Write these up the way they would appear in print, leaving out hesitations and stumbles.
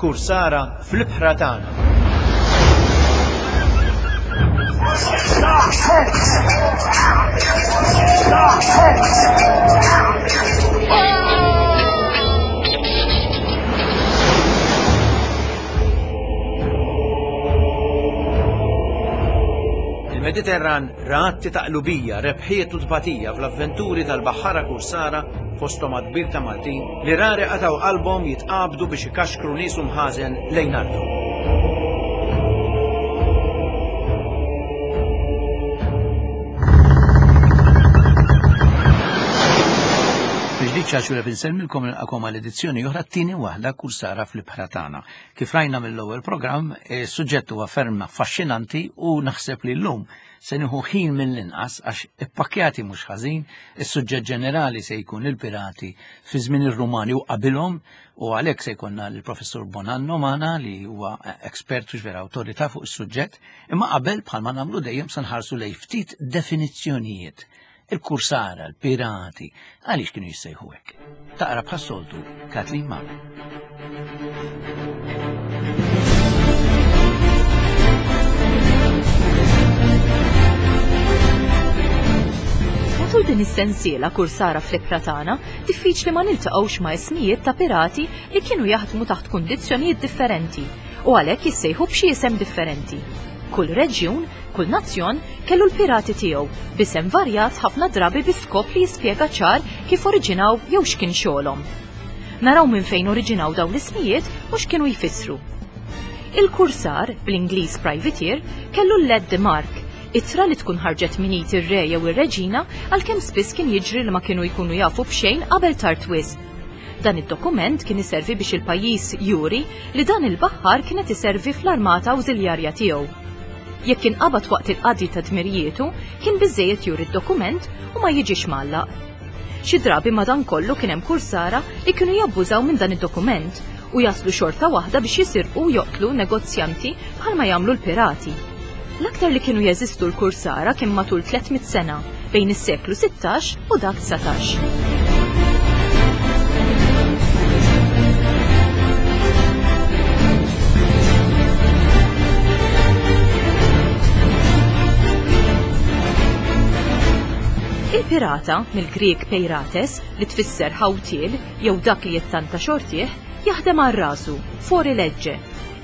Kursara fl-ibħra tagħna. Il-Mediterran ra atti ta' qlubija, rebħiet u tbatija fl-avventuri tal-baħħara kursara fosthom għadd kbir ta' Maltin li rari qatgħu qalbhom jitqabdu biex ikaxkru nies u mħażen lejn arthom. Mill-ġdid ċaċu insellmilkom nilqakom għal edizzjoni oħra t-tieni waħda kursara fl-ibħra tagħna. Kif rajna mill-ewwel programm, is-suġġett huwa ferm affaxxinanti u naħseb li llum se nieħu ħin mill-inqas għax ippakkjati mhux ħażin, is-suġġett ġenerali se jkun il-pirati fi żmien ir-Rumani u qabilhom u għalhekk se jkollna l-Professur Bonanno magħna li huwa ekspert u vera awtorità fuq is-suġġett, imma qabel bħalma nagħmlu dejjem se nħarsu lejn ftit definizzjonijiet Il-kursara, l-pirati, għaliex kienu jissejħu hekk? Taqra bħas-soltu Kathleen Mamo. Matul din is-sensiela kursara fl-ibħra tagħna, diffiċli ma niltaqgħux ma' ismijiet ta' pirati li kienu jaħdmu taħt kundizzjonijiet differenti u għalhekk jissejħu b'xi isem differenti. Kull reġjun Kull nazzjon kellu l-pirati tiegħu, b'isem varjat ħafna drabi bi skop li jispjega ċar kif oriġinaw jew x'kien xogħolhom. Naraw minn fejn oriġinaw dawn l-ismijiet u x'kienu jfissru. Il-kursar, bl-Ingliż privateer, kellu l-lettre de marque, ittra li tkun ħarġet minn id ir-re jew ir-reġina għalkemm spiss kien jiġri li ma kienu jkunu jafu b'xejn qabel tard wisq. Dan id-dokument kien iservi biex il-pajjiż juri li dan il-baħħar kien qed iservi fl-armata awżiljarja tiegħu. Jekk inqabad waqt il-qadi ta' dmirijietu, kien biżżejjed juri d-dokument u ma jiġix mgħallaq. Xi drabi madankollu kien hemm kursara li kienu jabbużaw minn dan id-dokument u jaslu xorta waħda biex jisirqu u joqtlu negozjanti bħalma jagħmlu l-pirati. L-aktar li kienu jeżistu l-kursara kien matul 300 sena, bejn is-seklu 16 u dak 19. Il-pirata, mill-Grieg peirates, li tfisser ħawtiel jew dak li jittanta xortih, jaħdem għal rasu, fuori legge,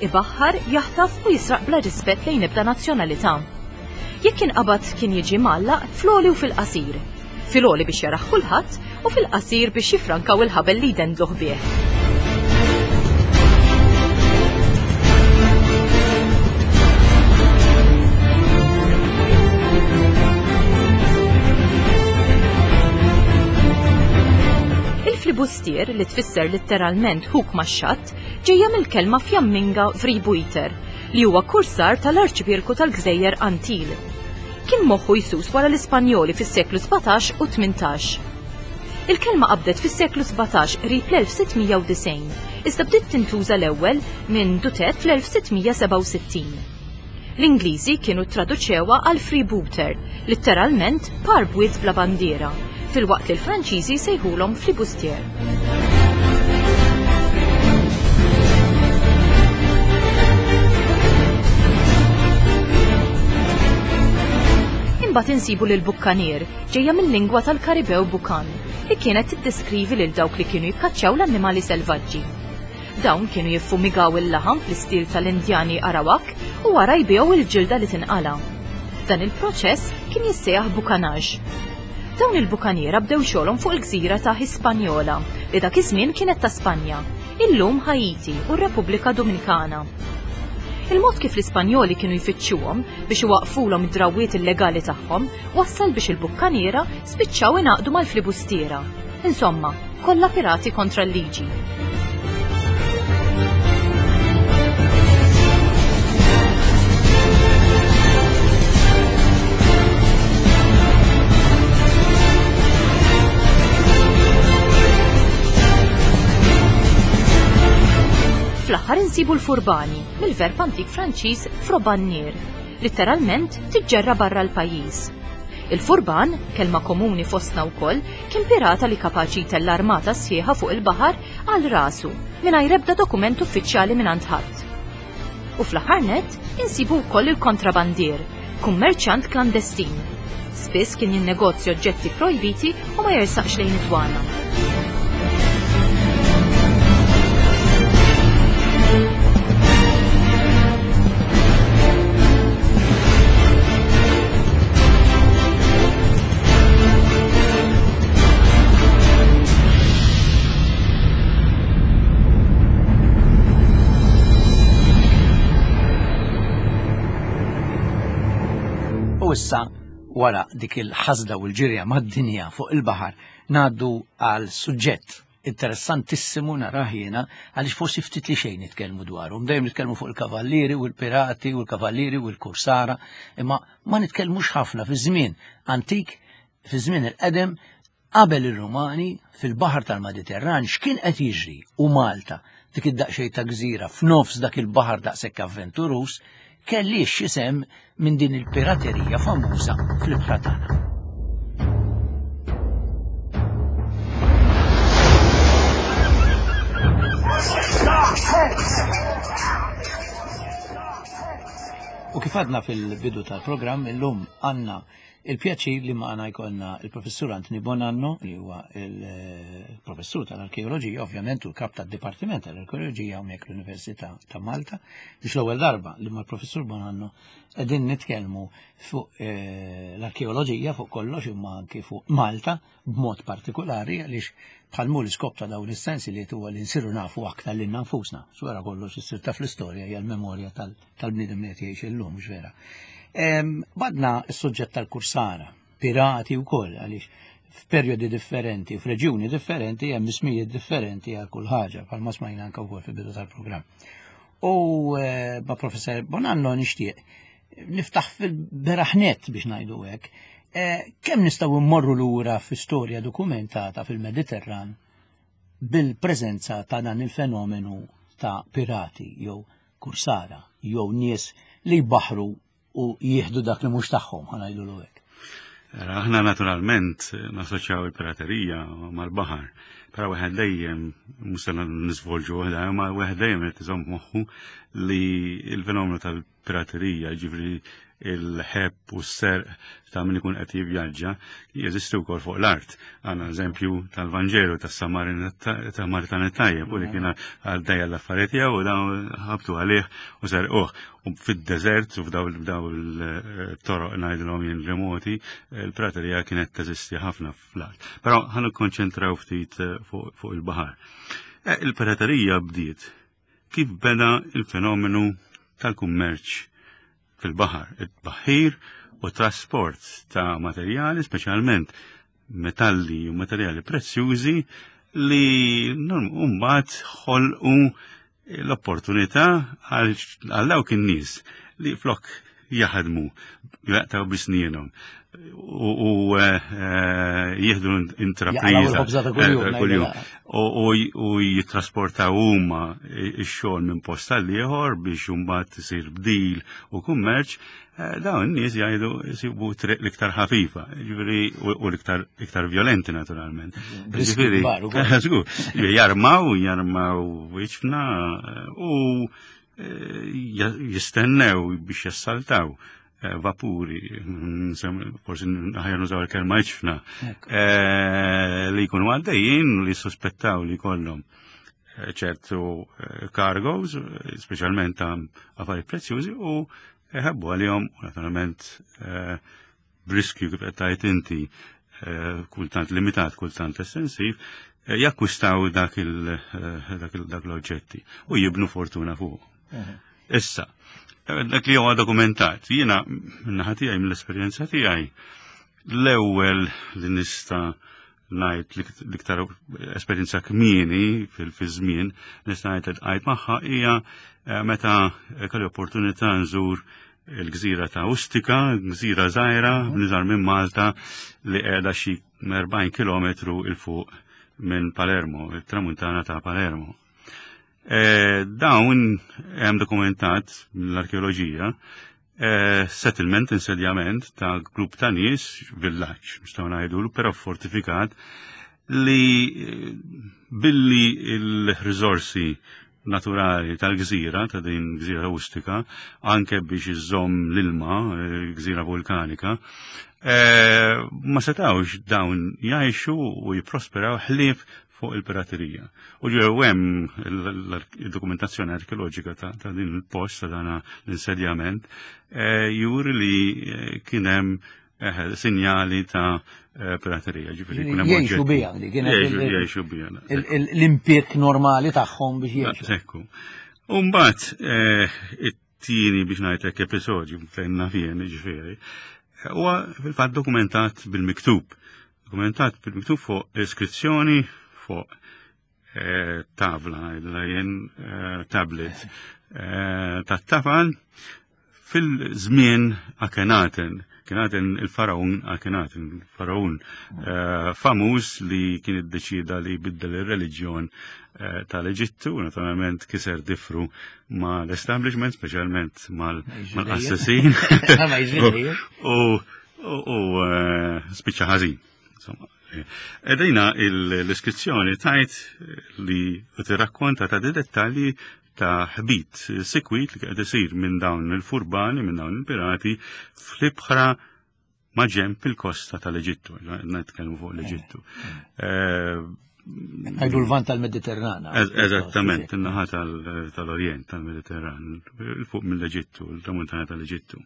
ibaħħar, jaħtaf u jisraq bla rispett lejn ebda nazzjonalità. Jekk inqabad kien jiġi mgħallaq fl-għoli u fil-qasir. Fil-għoli biex jarah kulħadd u fil-qasir biex jiffrankaw il-ħabel li jdendluh bih. Il-flibustier, li tfisser litteralment ħuk max-xatt, ġejja mill-kelma Fjamminga vrijbuiter, li huwa kursar tal-Arċipierku tal-Gżejjer Antil. Kien moħħu jsus wara l-Ispanjoli fis-seklu 17 u 18. Il-kelma qabdet fis-seklu 17 qrib l-1690, iżda bdiet tintuża l-ewwel minn Dutet fl-1667. L-Ingliżi kienu ttraduċewha għal freebooter, litteralment par bwiet bla bandiera, filwaqt li l-Franċiżi jsejħulhom flibustier. Imbagħad insibu lil bukkanier, ġejja mill-lingwa tal-Karibew bukan, li kienet tiddeskrivi lil dawk li kienu jikkaċċjaw l-annimali selvaġġi. Dawn kienu jiffumigaw il-laħam fl-istil tal-Indjani Arawak u wara jbigħu l-ġilda li tinqala'. Dan il-proċess kien jissejjaħ bukanage. Dawn il-bukaniera bdew xogħolhom fuq il-gżira ta' Hispaniola, li dak iż-żmien kienet ta' Spanja, illum Ħaiti u r-Repubblika Dominikana. Il-mod kif l-Ispanjoli kienu jfittxuhom biex iwaqqfulhom id-drawwiet illegali tagħhom wassal biex il-bukkaniera spiċċaw ingħaqdu mal-flibustiera. Insomma, kollha pirati kontra l-liġi. Fl-aħħar insibu l-furbani, mill-verb antik Franċiż frobannier, litteralment tiġġerra barra l-pajjiż. Il-furban, kelma komuni fostna wkoll, kien pirata li kapaċi jtella' armata sħiħa fuq il-baħar għal rasu, mingħajr ebda dokument uffiċjali mingħand ħadd. U fl-aħħar nett, insibu wkoll il-kontrabandier, kummerċjant klandestin. Spiss kien jinnegozja oġġetti projbiti u ma jersaqx lejn id-dwana. U issa wara dik il-ħasda u l-ġirja mad-dinja fuq il-baħar ngħaddu għal suġġett interessantissimu narah jiena għaliex forsi ftit li xejn nitkellmu dwaru. Dejjem nitkellmu fuq il-kavallieri u l-pirati u l-kavallieri u l-kursara, imma ma nitkellmux ħafna fi żmien antik, fi żmien il-qedem, qabel ir-Rumani fil-baħar tal-Mediterran x'kien qed jiġri u Malta dik id-daqsxejn ta' gżira f'nofs dak il-baħar daqshekk avventuruż kellix xi sehem minn din il-piraterija famuża fl-ibħra tagħna. U kif għadna fil-bidu tal-programm illum għandna il-pjaċir li magħna jkollna il-professur Anthony Bonanno li huwa il-professur tal-arkeoloġija, ovvjament u l-kap tad-Dipartiment tal-Arkeoloġija hawnhekk l-Università ta' Malta, biex l-ewwel darba li mal-professur Bonanno qegħdin nitkellmu fuq eh, l-arkeoloġija fuq kollox imma anki fuq Malta b'mod partikolari għaliex bħal l-iskop ta' dawn is-sensi li huwa li nsiru nafu aktar lilna nfusna. Wara kollox issir taf l-istorja hija l-memorja tal-bniedem li qed jgħix illum, mhux vera. Badna s-suġġett tal-kursara, pirati wkoll għaliex f'perjodi differenti, f'reġjuni differenti hemm ismijiet differenti għal kull ħaġa, bħalma smajna anke wkoll fil-bidu tal-programm. U eh, ma' professor Bonanno nixtieq niftaħ fil-beraħnet biex ngħidu hekk, eh, kemm nistgħu mmorru lura fi storja dokumentata fil-Mediterran bil-preżenza ta' dan il-fenomenu ta' pirati jew kursara jew nies li jbaħru u jieħdu dak li mhux tagħhom ħa ngħidulu hekk. Aħna naturalment nassoċjaw il-piraterija mal-baħar, però wieħed dejjem mhux se nisvolġu waħda, imma wieħed dejjem qed iżomm moħħu li l-fenomenu tal-piraterija, ġifri il-ħebb u s-serq ta' min ikun qed jivvjaġġa jeżisti wkoll fuq l-art. Għandna eżempju tal-Vanġelu tas-Samaritan it-tajjeb u li kien għaddejja l-affarijiet tiegħu u dawn ħabtu għalih u serquh. U fid-deżert u f'daw il-toroq ngħidilhom jien remoti, il-praterija kienet teżisti ħafna fl-art. Però ħa nikkonċentraw ftit eh, fuq il-baħar. Eh, il-piraterija bdiet kif beda il-fenomenu tal-kummerċ fil-baħar, it-tbaħħir u trasport ta' materjali, speċjalment metalli u materjali prezzjużi li mbagħad ħolqu l-opportunità għal dawk in-nies li flok jaħdmu jaqtaw bisnienhom u eh, eh, jieħdu intrapriża eh, kuljum u jittrasportaw huma x-xogħol minn post għal ieħor biex imbagħad isir bdil u kummerċ, dawn in-nies jgħidu jsibu triq l-iktar ħafifa, ġifieri u l-iktar iktar violenti naturalment. Ġifieri, jarmaw, jarmaw iċfna u jistennew biex jassaltaw eh, vapuri, forsi aħjar nużaw il-kelma iċfna, eh, li jkunu għaddejjin li suspettaw li kollhom eh, ċertu cargoes, speċjalment ta' affarijiet prezzjużi u ħebbu għalihom naturalment b'riskju kif qed tgħid inti eh, kultant limitat, kultant estensiv, eh, jakkwistaw dak eh, l-oġġetti u jibnu fortuna fuq. Issa, dak li huwa dokumentat, jiena minnaħa tiegħi mill-esperjenza tiegħi, l-ewwel li nista' ngħid l-iktar esperjenza kmieni fil-żmien nista' ngħid li tqajt magħha hija eh, meta kelli opportunità nżur il-gżira ta' Ustika, gżira żgħira, niżar minn Malta li qiegħda xi 40 km il fuq minn Palermo, il-tramuntana ta' Palermo. E, dawn hemm dokumentat mill-arkeoloġija settlement, insedjament ta' grupp ta' nies, villaġġ, nistgħu ngħidulu, però fortifikat, li billi il-riżorsi naturali tal-gżira, ta' din gżira rustika, anke biex iżżomm l-ilma, gżira vulkanika, ma setawx dawn jgħixu u jipprosperaw ħlief fuq il-piraterija. U ġew hemm il-dokumentazzjoni arkeoloġika ta' din il-post, ta' dan l-insedjament, juri li kien hemm sinjali ta' piraterija, ġifieri kien hemm Jgħixu biha, li kienet Jgħixu biha. l-impjieg normali tagħhom biex jgħixu. Ekku. U mbagħad it-tieni biex ngħidlek episodju fejn naf jien, ġifieri, huwa fil-fatt dokumentat bil-miktub. Dokumentat bil-miktub fuq iskrizzjoni fuq tavla, ngħidilha jien, tablet tat-tafal fil-żmien Akhenaten. Akhenaten il-faraun Akhenaten, faraun famuż li kien iddeċida li jbiddel ir-reliġjon tal-Eġittu, naturalment kiser difru ma l-establishment, speċjalment mal-assassin. U spiċċa ħażin. Insomma, edina l-iskrizzjoni tajt li tirrakkonta ta' dettalji ta' ħbit sikwit li qed isir minn dawn il-furbani, minn dawn il-pirati fl-ibħra ma' ġenb il-kosta tal-Eġittu, nitkellmu fuq l-Eġittu. Għajdu l-vant tal-Mediterran. Eżattament, in-naħa tal-Orjent tal-Mediterran, fuq mill-Eġittu, il-tramuntana tal-Eġittu.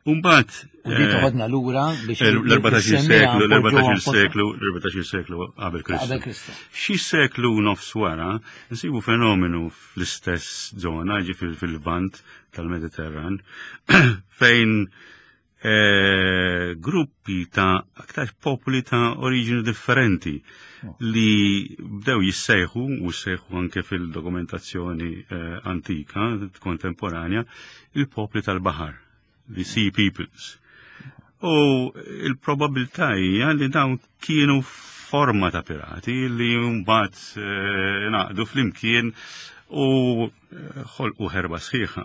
Umbat. U di toħodna lura biex l-14 seklu, l-14 seklu, l-14 seklu qabel Kristu. Qabel Kristu. Xi seklu nofs wara, nsibu fenomenu fl-istess zona, ġifieri fil-Lvant tal-Mediterran, fejn gruppi ta' aktar popoli ta' oriġini differenti li bdew jissejħu u sejħu anke fil-dokumentazzjoni antika, kontemporanja, il-popli tal-baħar, the sea peoples. U il-probabilità hija li dawn kienu forma ta' pirati li mbagħad naqdu flimkien u ħolqu ħerba sħiħa.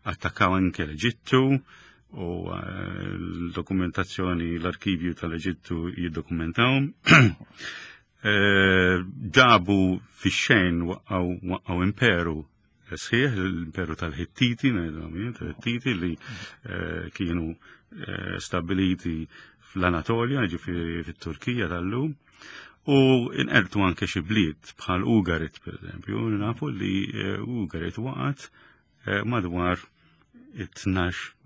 Attakkaw anke l-Eġittu u l-dokumentazzjoni, l-arkivju tal-Eġittu jiddokumentawhom. Ġabu fix-xejn waqqgħu imperu sħiħ, l-imperu tal-Hittiti, ngħidulhom jien, tal-Hittiti li kienu stabiliti fl-Anatolja, ġifieri fit-Turkija tal-lum, u inqertu anke xi bliet bħal Ugarit, per eżempju, nafu li Ugarit waqgħet madwar 12%,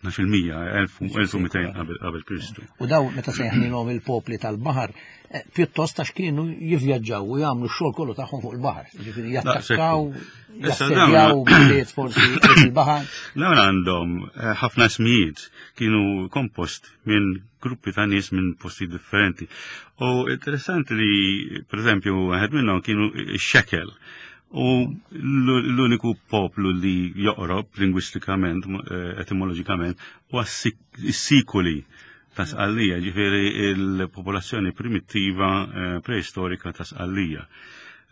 1200 qabel Kristu. U daw meta sejħnilhom il-popli tal-baħar, pjuttost għax kienu jivvjaġġaw u jagħmlu x-xogħol kollu tagħhom fuq il-baħar. Ġifieri jattakkaw, jassedjaw bliet forsi fil-baħar. Dawn għandhom ħafna ismijiet kienu kompost minn gruppi ta' nies minn posti differenti. U interessanti li, per eżempju, wieħed minnhom kienu x-xekel. U l-uniku poplu li joqrob lingwistikament, etimoloġikament, huwa s-sikuli ta' Sqallija, ġifieri il-popolazzjoni primittiva preistorika ta' Sqallija.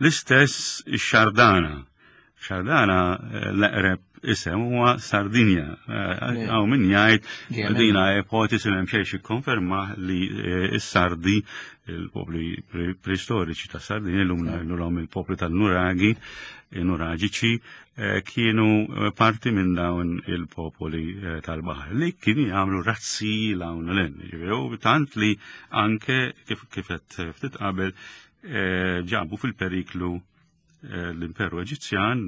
L-istess ix-Xardana. Xardana l-eqreb isem huwa Sardinja. Hawn min jgħid dina ipotesi li hemm xejn jikkonferma li s-Sardi, il-popli preistoriċi ta' Sardinja, illum ngħidulhom il-popli tal-Nuragi, Nuraġiċi, kienu parti minn dawn il-popoli tal-baħar li kienu jagħmlu razzi l-hawn u l-hemm. Ġifieri, u tant li anke kif qed ftit qabel ġabu fil-periklu l-Imperu Eġizzjan,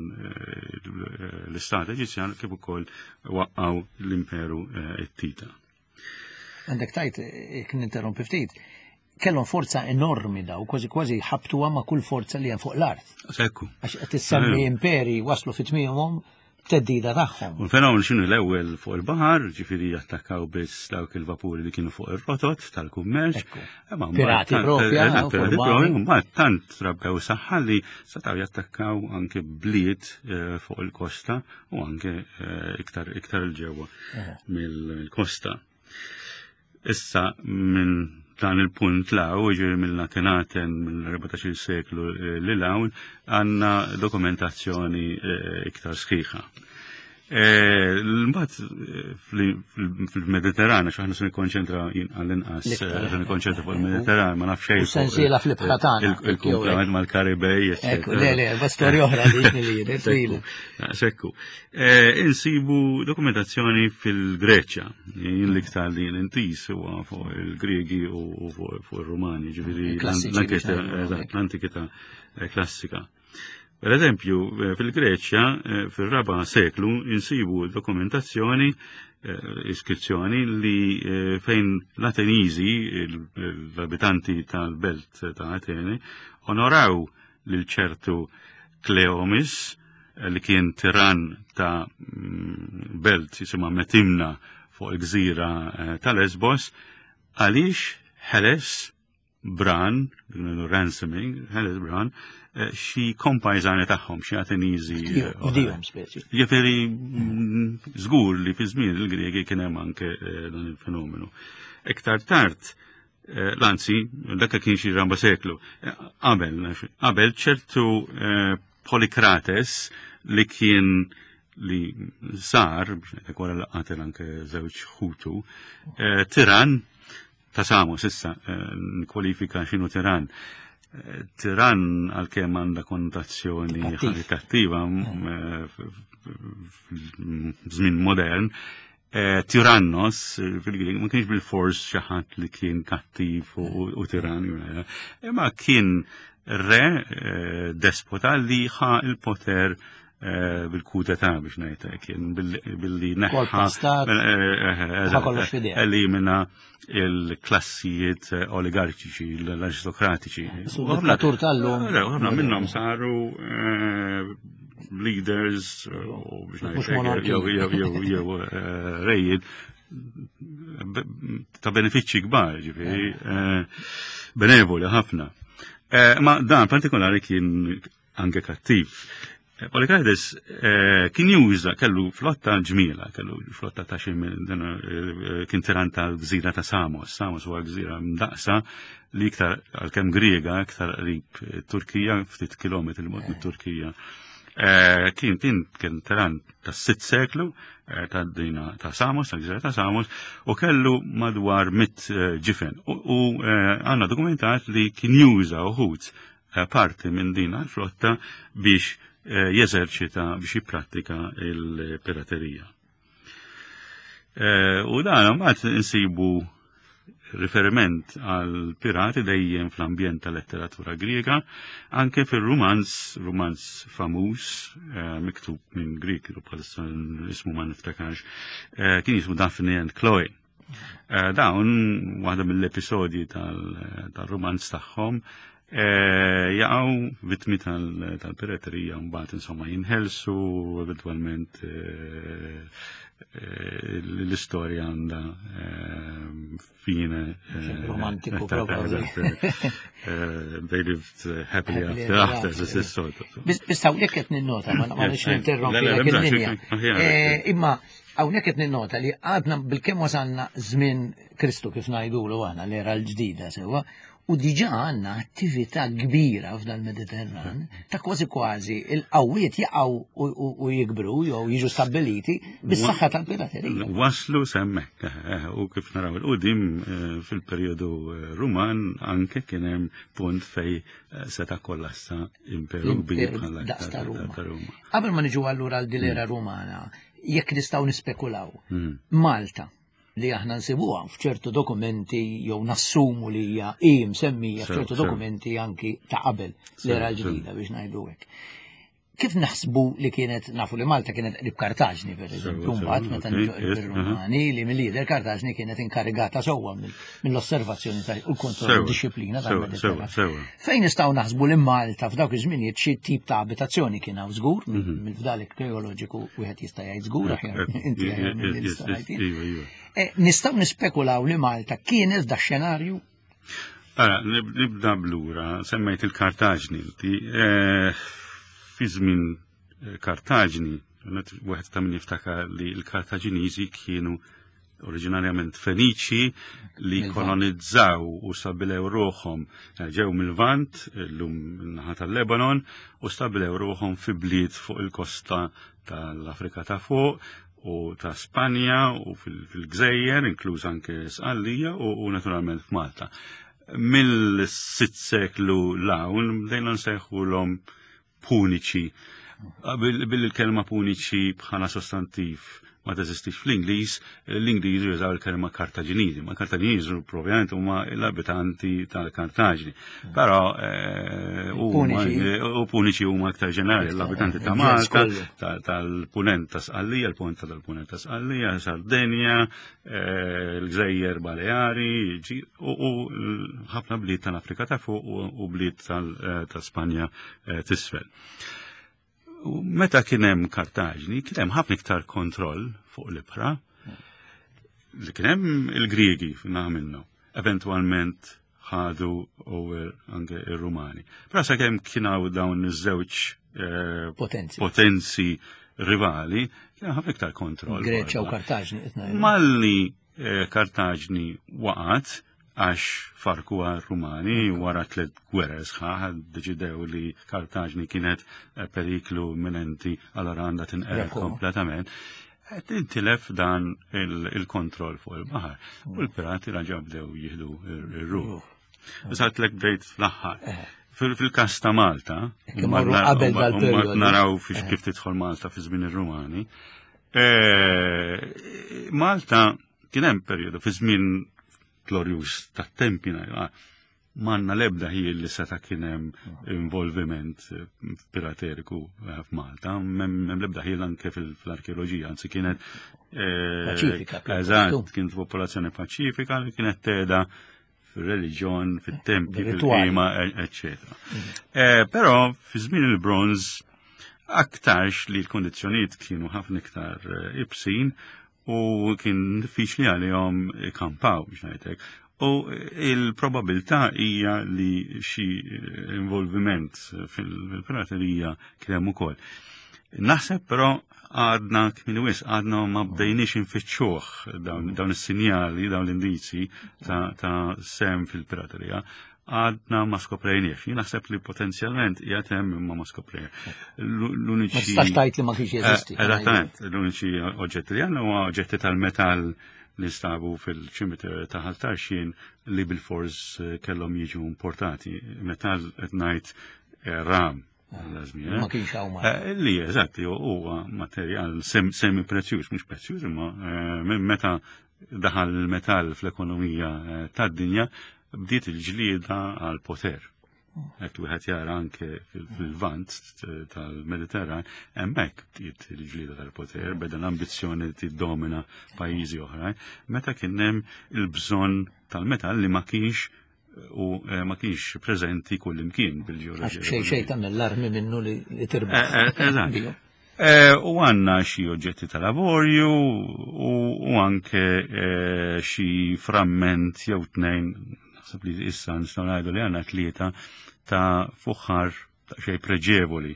l-Istat Eġizzjan, kif ukoll waqqgħu l-Imperu Ittita. Għandek tajt, jekk ninterrompi ftit, kellhom forza enormi daw, kważi kważi ħabtuha ma' kull forza li hemm fuq l-art. Sekku. Għax qed issemmi imperi waslu fi tmiemhom teddida tagħhom. U l-fenomenu x'inhu l-ewwel fuq il-baħar, ġifieri jattakkaw biss dawk il-vapuri li kienu fuq ir-rotot tal-kummerċ. Imma mbagħad Pirati propja, pirati propja, mbagħad tant trabbew saħħa li setgħu jattakkaw anke bliet fuq il-kosta u anke iktar il-ġewwa mill-kosta. Issa minn dan il-punt law, ġifieri mill-Akhenaten mill-14 seklu li law, għandna dokumentazzjoni iktar sħiħa. Mbagħad fil-Mediterran, għax aħna se nikkonċentra għall-inqas, se nikkonċentra fuq il-Mediterran, ma nafx xejn. Sensiela fl-ibħra tagħna. Il-kumplament mal-Karibej. Ekku, le, le, ma storja oħra li li twila. Sekku. Insibu dokumentazzjoni fil-Greċja, jien l-iktar li intis huwa fuq il-Griegi u fuq ir-Rumani, ġifieri l-antikità klassika. Per eżempju, fil-Greċja, fil-raba seklu, insibu dokumentazzjoni, iskrizzjoni li fejn l-Ateniżi, l-abitanti tal-belt ta' Atene, onoraw lil ċertu Kleomis, li kien tiran ta' belt jisimha Metimna fuq il-gżira ta' Lesbos, għaliex ħeles Bran, ransoming, ħeles Bran, xi kompajżani tagħhom, xi Ateniżi. Fdihom speċi. Ġifieri żgur li fi żmien il-Griegi kien hemm anke dan il-fenomenu. Iktar tard, l-anzi, dak kien xi ramba seklu, qabel, qabel ċertu Polikrates li kien li sar, biex ngħidlek wara li qatel anke żewġ ħutu, tiran ta' Samos, issa nkwalifika x'inhu tiran. Tiran għalkemm għandha konnotazzjoni kattiva żmien modern, Tyrannos fil-Grieg ma kienx bil-fors xi ħadd li kien kattiv u tiran, imma kien re despota li ħa il-poter bil-kudeta biex ngħid kien billi neħħa elimina il-klassijiet oligarkiċi, l-aristokratiċi. Dittatur tal-lum. Ħafna minnhom saru leaders u biex ngħid jew rejiet ta' benefiċċji kbar, ġifieri, benevoli ħafna. Ma dan partikolari kien anke kattiv. Polycrates kien juża kellu flotta ġmiela, kellu flotta ta' xi kien tiran tal-gżira ta' Samos. Samos huwa gżira mdaqsa li iktar għalkemm Griega, iktar qrib Turkija, ftit kilometri l mit Turkija. Kien kien kien tiran tas-sitt seklu ta' dina ta' Samos, tal-gżira ta' Samos, u kellu madwar 100 ġifen. U għandna dokumentat li kien juża uħud parti minn din l-flotta biex jeżerċita, biex jipprattika il-piraterija. U dan mbagħad insibu riferiment għal pirati dejjem fl-ambjent tal-letteratura Griega, anke fil-rumanz, rumanz famuż, miktub minn Grieg, bħalissa ismu ma niftakarx, kien jismu Daphne and Chloe. Dawn, waħda mill-episodji tal-rumanz tagħhom, jaqgħu vittmi tal-piraterija mbagħad insomma jinħelsu eventwalment l-istorja għandha fine romantiku probabbli. They lived happily after after this is sort of. Biss hawnhekk qed ninnota, ma nix ninterrompi il-linja. Imma hawnhekk qed ninnota li għadna bilkemm wasalna żmien Kristu kif ngħidulu aħna l-era l-ġdida sewwa, u diġà għandna attività kbira f'dal Mediterran ta' kważi kważi il-qawwiet jaqgħu u jikbru jew jiġu stabbiliti bis-saħħa tal-piraterija. Waslu semmek, u kif naraw il-qudiem fil-perjodu Ruman anke kien hemm punt fej seta' kollassa imperu kbir bħala daqs ta' Ruma. ta' Ruma. Qabel ma niġu allura għal din-era Rumana, jekk nistgħu nispekulaw, Malta li aħna nsibuha f'ċertu dokumenti jew nassumu li hija hi msemmija f'ċertu dokumenti anki ta' qabel l-era l-ġdida biex ngħidu hekk. Kif naħsbu li kienet, nafu li Malta kienet qrib Kartaġni, per eżempju, mbagħad meta niġu qrib ir-Rumani, li mill-lider Kartaġni kienet inkarigata sewwa mill-osservazzjoni ta' u l-kontroll disciplina tal-Mediterran. Fejn nistgħu naħsbu li Malta f'dawk iż-żminijiet xi tip ta' abitazzjoni kien hawn żgur, mill-fdal arkeoloġiku wieħed jista' jgħid żgur aħjar inti aħjar milli nista' ngħid jien. Nistgħu nispekulaw li Malta kienet da xenarju? Ara, nibda blura, semmejt il-Kartaġni, inti, fi żmien Kartaġni, wieħed ta' min jiftakar li l-Kartaġiniżi kienu oriġinarjament Feniċi li kolonizzaw u stabilew ruħhom eh, ġew mill-Lvant, illum naħa tal-Lebanon, u stabilew ruħhom fi bliet fuq il-kosta tal-Afrika ta' fuq u ta' Spanja u fil-Gżejjer, inkluż anke Sqallija u naturalment f'Malta. Mill-sitt seklu l-hawn bdejna nsejħulhom puniċi. Billi l-kelma puniċi bħala sostantiv ma teżistix fl-Ingliż, l-Ingliż jużaw il-kelma Kartaġiniżi. Ma Kartaġiniżi propjament huma l-abitanti tal-Kartaġni. Però eh, u puniċi huma aktar ġenerali, l-abitanti ta' Malta, tal-punent ta' Sqallija, l-punent tal-punent ta' Sqallija, Sardenja, eh, l-Gżejjer Baleari, u ħafna bliet tal-Afrika ta' fuq u bliet eh, ta' Spanja eh, t'isfel. Meta kien hemm Kartaġni, kien hemm ħafna iktar kontroll fuq l-ibħra li kien hemm il-Griegi naħa minnu. Eventwalment ħadu over anke ir-Rumani. Però sakemm kien hawn dawn iż-żewġ eh, potenzi. potenzi rivali, kien ħafna iktar kontroll. Greċja u Kartaġni. Malli eh, Kartaġni waqgħet għax farku r-Rumani wara tliet gwerer sħaħ deċidew li Kartaġni kienet eh, periklu imminenti allora għandha tinqered kompletament. Qed intilef dan il-kontroll fuq il-baħar. U l-pirati raġa bdew jieħdu ir-ruħ. Satlek bdejt fl-aħħar. Eh. Fil-kas ta' Malta, naraw fiex eh. kif tidħol Malta fi żmien ir-Rumani. Eh, Malta kien hemm perjodu fi żmien glorjuż tat-tempi M'għandna l-ebda ħiel li seta' kien hemm involviment eh, pirateriku eh, f'Malta, m'hemm l-ebda ħiel anke fil-arkeoloġija, anzi kienet eh, paċifika. Eżatt, kienet popolazzjoni paċifika li kienet teda fil-reliġjon, fit-tempji, fil-qima, eccetera. Mhm. Però fi żmien il-bronż aktarx li l-kondizzjonijiet kienu ħafna iktar ibsin u kien diffiċli għalihom ikampaw biex ngħidlek. U il-probabilità hija li xi involviment fil-piraterija kien hemm ukoll. Naħseb però għadna kmini wis, għadna ma bdejniex infittxuh dawn is-sinjali, dawn l-indizi ta', ta sem fil-piraterija għadna ma skoprejniex. Jien naħseb li potenzjalment qiegħed hemm imma ma skoprejniex. L-uniċi. Ma tistax tgħid li ma kienx jeżisti. Eh, eżattament, l-uniċi oġġetti li għandna huwa oġġetti tal-metall li nstabu fil-ċimiter ta' Ħal Tarxien li bil-fors eh, kellhom jiġu importati. Metall qed ngħid eh, ram. Ma kienx hawn Li eżatt huwa materjal semi prezzjuż, mhux prezzjuż, imma meta daħal il-metall fl-ekonomija tad-dinja bdiet il-ġlieda għal poter. Hekk wieħed jara anke fil-vant tal-Mediterran, hemmhekk bdiet il-ġlieda tal-poter, beda l-ambizzjoni li tiddomina pajjiżi oħrajn, meta kien hemm il-bżonn tal-metall li ma kienx u eh, ma kienx preżenti kull imkien bil-ġeoloġija. Xejn xejn tagħmel l-armi minnu li tirbaħ. Eh, eh, eżatt. U għanna xi oġġetti tal-avorju u anke xi framment jew tnejn, naħseb li issa nistgħu ngħidu li għandna tlieta ta' fuħħar ta' xej preġevoli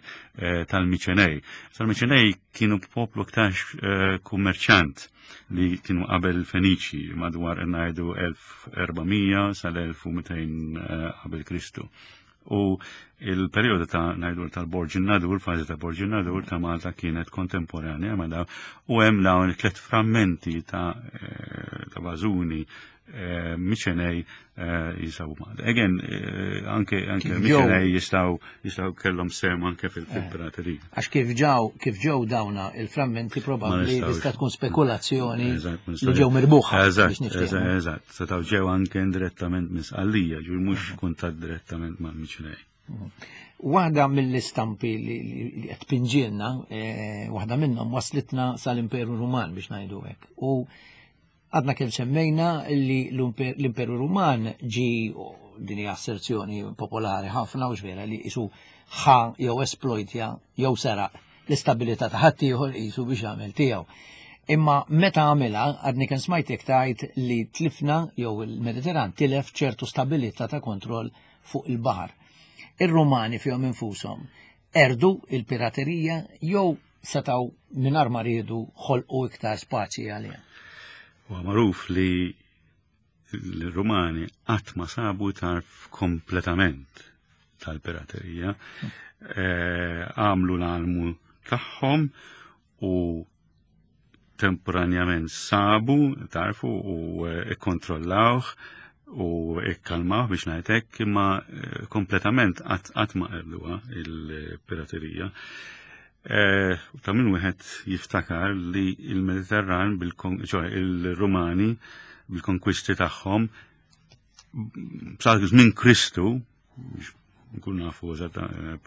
tal-Miċenej. Tal-Miċenej kienu poplu aktarx kummerċant li kienu qabel Feniċi madwar ngħidu 1400 sal-1200 qabel Kristu. U il-perjodu ta' ngħidu tal-Borġ Nadur, fażi ta' Borġ Nadur ta' Malta kienet kontemporanja ma' dawn u hemm dawn it-tliet frammenti ta' eh, ta' bażuni eh, Miċenej eh, jisabu Malta. Again, anke anke Miċenej jistgħu jistgħu kellhom sem anke fil-piraterija. Għax kif ġew kif ġew dawna il-frammenti probabbli tista' tkun spekulazzjoni li ġew mirbuħa. Eżatt, eżatt. Setgħu ġew anke indirettament minn Sqallija, ġifieri mhux mhm. kuntatt direttament mal-Miċnej. Mhm. Waħda mill-istampi li qed pinġilna, eh, waħda minnhom waslitna sal-Imperu Ruman biex ngħidu hekk. U għadna kemm semmejna li l-Imperu Ruman ġi din hija asserzjoni popolari ħafna u vera li isu ħa jew esploitja jew seraq l-istabilità ta' ħaddieħor qisu biex jagħmel tiegħu. Imma meta għamilha, għadni kien smajtek tgħid li tlifna jew il-Mediterran tilef ċertu stabilità ta' kontroll fuq il-baħar. Ir-Rumani fihom infushom erdu il-piraterija jew setgħu mingħajr ma riedu ħolqu iktar spazji għaliha. Huwa magħruf li l-Rumani qatt ma sabu tarf kompletament tal-piraterija. Eh, għamlu l-almu tagħhom u temporanjament sabu tarfu u eh, ikkontrollawh u ikkalmawh biex ngħidlek imma eh, kompletament qatt ma qerduha il-piraterija. Eh, ta' min wieħed jiftakar li il-Mediterran, il-Rumani bil-konkwisti tagħhom sa żmien Kristu, nkun nafu eżatt eh,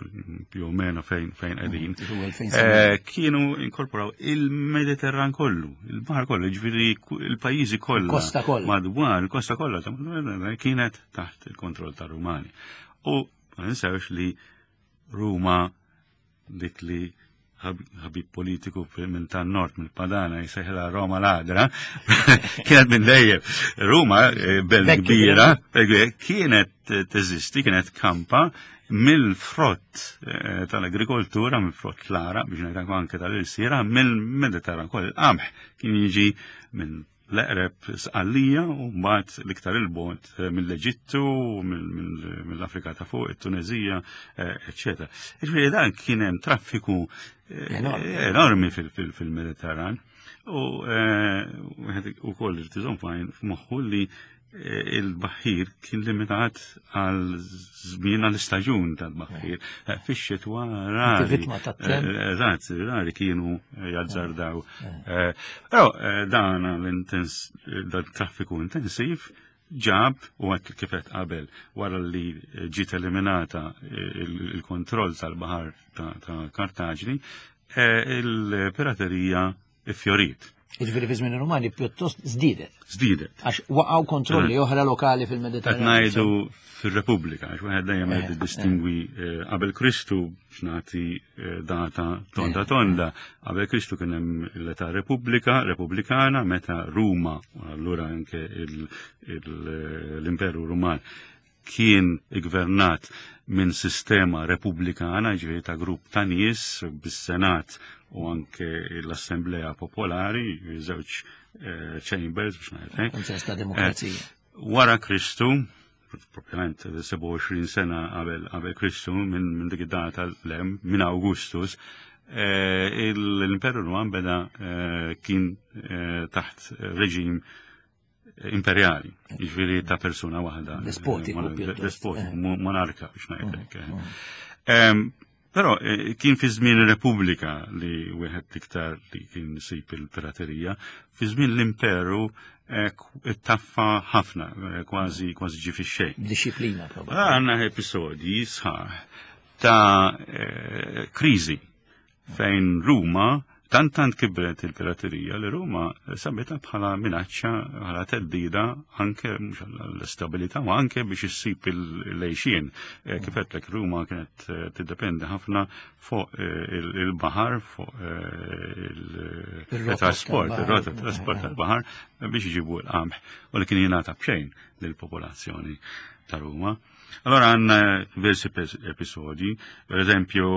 più o meno fejn fejn qegħdin. Eh, kienu inkorporaw il-Mediterran kollu, il-baħar kollu, ġifieri il-pajjiżi kollha. Kosta kollha. Madwar il-kosta kollha kienet taħt il-kontroll tar-Rumani. U ma ninsewx li Ruma dik li ħabib politiku minn tan nord mill padana jisejħla Roma ladra, kienet minn dejjem. Ruma, eh, belt kbira, eh, kienet teżisti, kienet kampa mill-frott eh, tal-agrikoltura, mill-frott l-ara, biex ngħid anke tal-ilsira, mill-Mediterran kol il-qamħ kien jiġi minn l-eqreb Sqallija u mbagħad l-iktar il-bogħod eh, mill-Eġittu, mill-Afrika ta' fuq, it-Tunezija, eh, eċċetera. Ġifieri dan kien hemm traffiku eh, enormi fil-Mediterran. U wieħed ukoll irid iżomm f'moħħu li il-baħħir kien limitat għal żmien għal istaġun tal-baħħir. Eh, fix-xitwa rari. Vittma tat-temp. Eh, eżatt, rari kienu jazzardaw. Eh, però dan l-intens, dan traffiku intensiv ġab u għat kifet qabel wara li ġiet eliminata il-kontroll tal-baħar ta' Kartaġni, il-piraterija iffjorit. Jiġifieri fi żmien ir-Rumani pjuttost żdiedet. Żdiedet. Għax waqgħu kontrolli eh. oħra lokali fil-Mediterran. Qed ngħidu fir-Repubblika, għax wieħed dejjem qed eh, distingwi eh, qabel Kristu x'nagħti data tonda tonda. Qabel Kristu kien hemm l-età Repubblika, Repubblikana, meta Ruma, allura anke l-Imperu Ruman kien iggvernat minn sistema repubblikana, ġifieri ta' grupp ta' nies bis-Senat u anke l-Assemblea Popolari, żewġ eh, chambers biex ngħid. Kunsens ta' demokrazija. Eh, wara Kristu, propjament 27 sena qabel qabel Kristu minn min dik id-data l-hemm minn Augustus, eh, l-Imperu Ruman beda kien taħt reġim imperjali, jiġifieri ta' persuna waħda. Despotiku. Despotiku, eh. monarka biex ngħidlek. Eh. Mm, mm. Però eh, kien fi żmien ir-Repubblika li wieħed iktar li kien sib il-piraterija, fi żmien l-Imperu taffa ħafna, kważi kważi ġi fix-xejn. Disciplina probabbli. Għandna episodji sħaħ ta' kriżi fejn Ruma tant tant kibret il-piraterija li Ruma sabitha bħala minaċċa, bħala teddida anke mhux l-istabilità ma anke biex issib il-lejxien. Eh, kif għedtlek Ruma kienet eh, tiddependi ħafna fuq eh, il-baħar, fuq il-trasport, il-rota trasport tal-baħar biex iġibu l-qamħ u li kien jingħata b'xejn lill-popolazzjoni ta' Ruma. Allora għanna diversi episodi, per eżempju,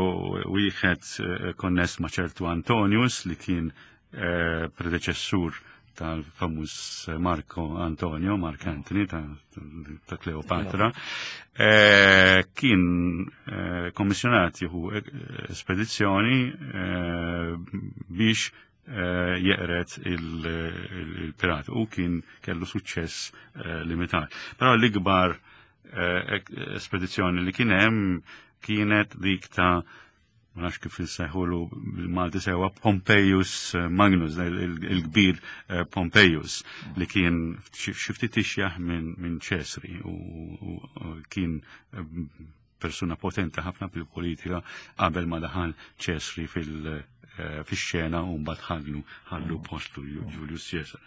wieħed eh, konness ma' ċertu Antonius li kien eh, predeċessur tal-famuż Marco Antonio, Mark Anthony ta', ta Cleopatra, eh, kien eh, kommissjonat jieħu eh, spedizzjoni eh, biex eh, jeqret il-pirat u kien kellu suċċess eh, limitat. Però l-ikbar eh, espedizzjoni li kien hemm kienet dik ta' ma nafx kif insejħulu bil-Malti sewa Pompeius Magnus, il-kbir Pompeius, li kien xi ftit ixjaħ minn Ċesri u kien persuna potenti ħafna fil-politika qabel ma daħal Ċesri fil- eh, fix-xena u mbagħad ħallu ħallu postu Julius Caesar.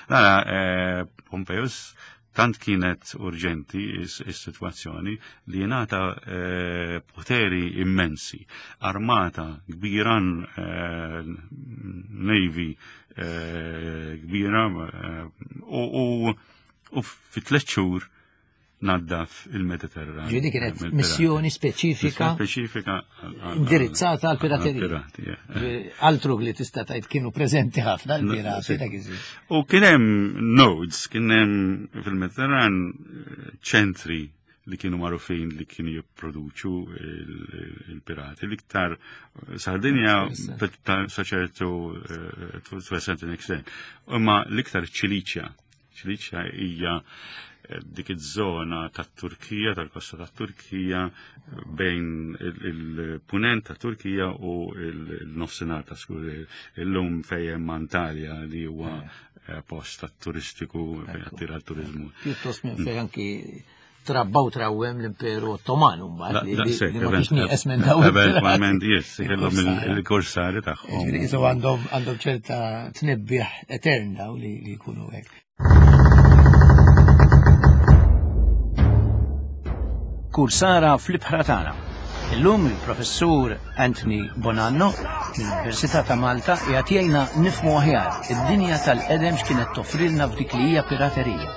Nara, eh, Pompeius tant kienet urġenti is-sitwazzjoni li jingħata eh, poteri immensi, armata kbira, navy kbira u fi tliet xhur. naddaf il-Mediterran. Ġieli kienet missjoni speċifika. Speċifika indirizzata għal piraterija. Altru li tista' tgħid kienu preżenti ħafna l-pirati dak iż U kien hemm nodes, kien hemm fil-Mediterran eh, ċentri li kienu magħrufin li kienu jipproduċu il-pirati. L-iktar eh, Sardinja sa ċertu eh, to a certain extent. Imma l-iktar Ċiliċja Ċiliċja hija eh, dik iż-żona tat-Turkija, tal-kosta tat-Turkija, bejn il-punent ta' Turkija u l-nofsinhar ta' skur illum fejn Antalja li huwa eh. Eh, post turistiku fejn attira l-turizmu. Pjuttost minn fejn anki trabba u trawwem l-Imperu Ottoman mbagħad li ma kienx nieqes minn dawn. Eventwalment yes, kellhom il-korsari tagħhom. Jiġifieri qisu għandhom għandhom ċerta tnibbieħ etern daw li jkunu hekk. Kursara fl-ibħra tagħna. Illum il-professur Anthony Bonanno mill-Università ta' Malta qiegħed jgħinna nifhmu aħjar id-dinja tal-qedem x'kienet toffrilna f'dik li hija piraterija.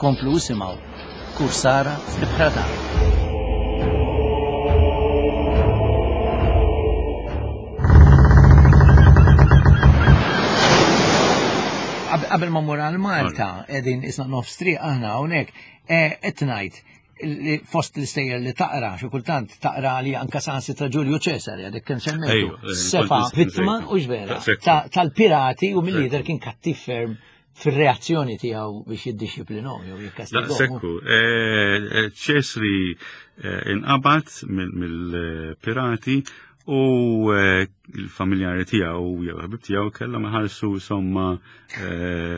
Komplu isimgħu Kursara fl-ibħra tagħna. Qabel ma mmur għal Malta, qegħdin isna nofs triq aħna hawnhekk, eh, qed ngħid fost l-istejjer li taqra, xi kultant taqra li anka sansi ta' Ġulju Ċesari, għadek kemm semmejtu, eh, sefa vittma u ġvera tal-pirati u mill-lider kien kattiv ferm fir-reazzjoni tiegħu biex jiddixxiplinhom jew jikkastigahom. Sekku, eh, Ċesri eh, inqabad mill-pirati u eh, il-familjari tiegħu jew ħabib tiegħu kellhom iħallsu somma